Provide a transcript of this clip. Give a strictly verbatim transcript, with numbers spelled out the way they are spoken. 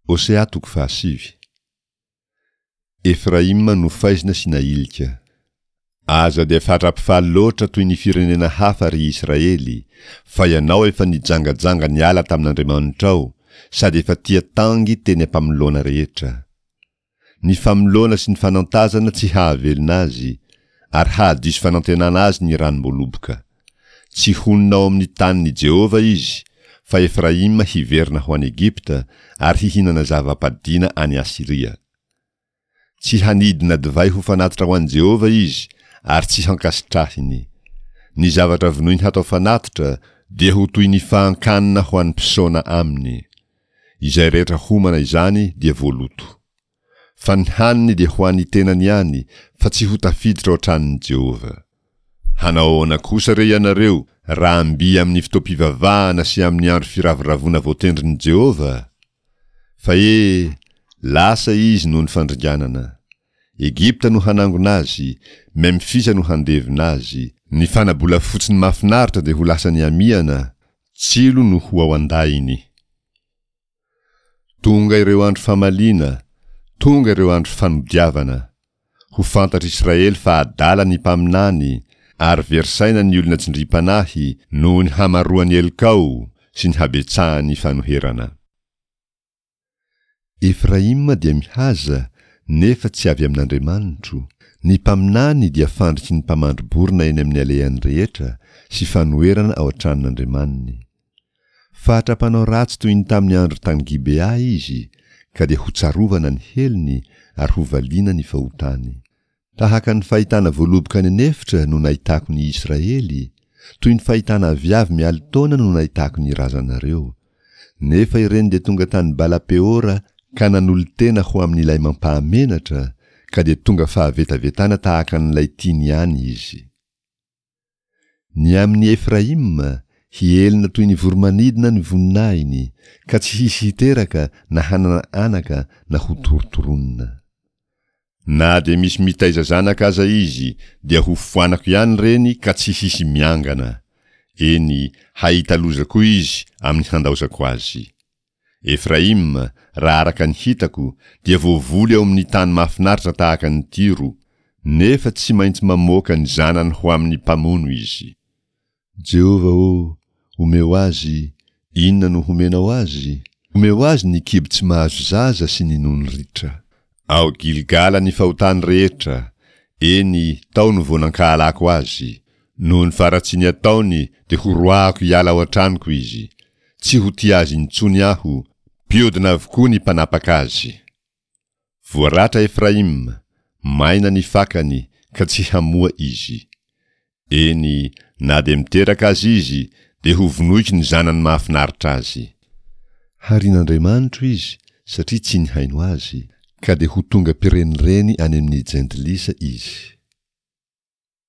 Hosea toko fahasivy. Efraima nofaizina sy nahilika. Aza dia fatra-pifaly loatra toy ny firenena hafa, ry Israely, fa ianao efa nijangajanga niala tamin'Andriamanitrao, sady efa tia tangy teny am-pamoloana rehetra. Ny famoloana sy ny fanantazana tsy hahavelona azy, ary hahadiso fanantenana azy ny ranom-boaloboka. Tsy honina ao amin'ny tanin'i Jehovah izy, fa Efraima hiverina ho any Egypta ary hihinana zava-padiana any Asyria. Tsy hanidina divay ho fanatitra ho an'i Jehovah izy, ary tsy hankasitrahiny. Ny zavatra vonoiny hatao fanatitra dia ho toy ny fahan-kanina ho an'ny mpisaona aminy. Izay rehetra homana izany dia voaloto. Fa ny haniny dia ho an'ny tenany ihany, fa tsy ho tafiditra ao an-tranon'i Jehovah. Hanao ahoana kosa re ianareo raha mby amin'ny fotoam-pivavahana sy amin'ny andro firavoravoana voatendrin'i Jehovah? Fa e, lasa izy noho ny fandringanana. Egypta no hanangona azy, Memfisa no handevina azy. Ny fana-bolafotsiny mahafinaritra dia ho lasan'ny hamihana, tsilo no ho ao an-dahiny. Tonga ireo andro famaliana, tonga ireo andro fanodiavana. Ho fantatr'Israely fa adala ny mpaminany, ary very saina ny olona tsindriam-panahy noho ny hamaroan'ny helokao sy ny habetsahan'ny fanoherana. Efraima dia mihaza, nefa tsy avy amin'Andriamanitro. Ny mpaminany dia fandriky ny mpamandri-borona eny amin'ny alehany rehetra sy fanoherana ao an-tranon'Andriamaniny. Fatra mpanao ratsy toy ny tamin'ny andro tany Gibea izy, ka dia hotsarovana ny helony ary hovaliana ny fahotany. Tahaka ny fahitana voaloboka any an'efitra no nahitako ny Israely, toy ny fahitana aviavy mialin-taona no nahitako ny razanareo. Nefa ireny dia tonga tany Bala-peora ka nanolo-tena ho amin'ilay mampahamenatra, ka dia tonga fahavetavetana tahaka an'ilay tiany ihany izy. Ny amin'i Efraima, hielina toy ny voromanidina ny voninahiny, ka tsy hisy hiteraka na hanana anaka na hotorontoronina. Na dia misy mitaiza zanaka aza izy, dia hofoanako ihany ireny ka tsy hisy miangana. Eny, hahita loza koa izy amin'ny handaozako azy. Efraima, raha araka ny hitako, dia voavoly ao amin'ny tany mahafinaritra tahaka an'i Tyro, nefa tsy maintsy mamoaka ny zanany ho amin'ny mpamono izy. Jehovah ô, omeo azy, inona no homenao azy? Omeo azy ny kibo tsy mahazo zaza sy ny nono ritra. Ao Gilgala ny fahotany rehetra, eny, tao no vao nankahalako azy. Noho ny faharatsiany ataony dia horoahako hiala ao an-tranoko izy. Tsy ho tia azy intsony aho, mpiodina avokoa ny mpanapaka azy. Voaratra Efraima, maina ny fakany, ka tsy hamoa izy. Eny, na dia miteraka aza izy, dia hovonoiko ny zanany mahafinaritra azy. Harin'Andriamanitro izy, satria tsy nihaino azy, ka dia ho tonga mpirenireny any amin'ny jentilisa izy.